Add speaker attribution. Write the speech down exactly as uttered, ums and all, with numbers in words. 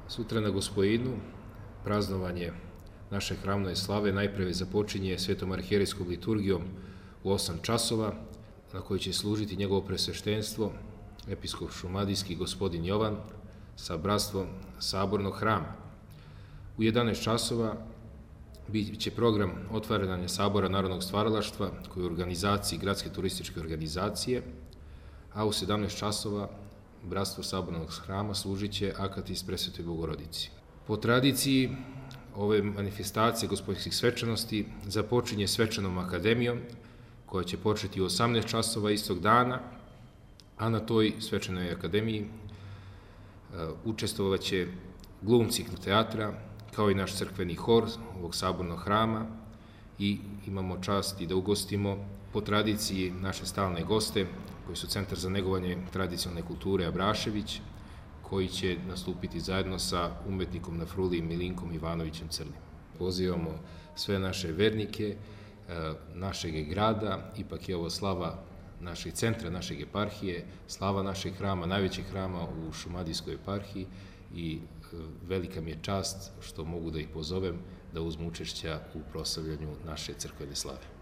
Speaker 1: Sutra na Gospojinu praznovanje naše hramove slave najprve započinje svetom arhijerejskom liturgijom u osam časova, na kojoj će služiti njegovo presveštenstvo, episkop šumadijski gospodin Jovan, sa bratstvom Sabornog hrama. U jedanaest časova bit će program otvaranja Sabora narodnog stvaralaštva, koji je u organizaciji Gradske turističke organizacije, a u sedamnaest časova bratstvo Sabornog hrama služit će Akatis Presvetoj Bogorodici. Po tradiciji ove manifestacije gospodinskih svečanosti započinje svečanom akademijom, koja će početi u osamnaest časova istog dana, a na toj svečanoj akademiji učestvovaće glumci teatra, kao i naš crkveni hor ovog Sabornog hrama, i imamo čast i da ugostimo po tradiciji naše stalne goste, koji su Centar za negovanje tradicionalne kulture Abrašević, koji će nastupiti zajedno sa umetnikom na fruli Milinkom Ivanovićem Crnim. Pozivamo sve naše vernike, našeg grada, ipak je ovo slava našeg centra, našeg eparhije, slava našeg hrama, najvećeg hrama u Šumadijskoj eparhiji, i velika mi je čast što mogu da ih pozovem da uzmu učešća u proslavljanju naše crkvene slave.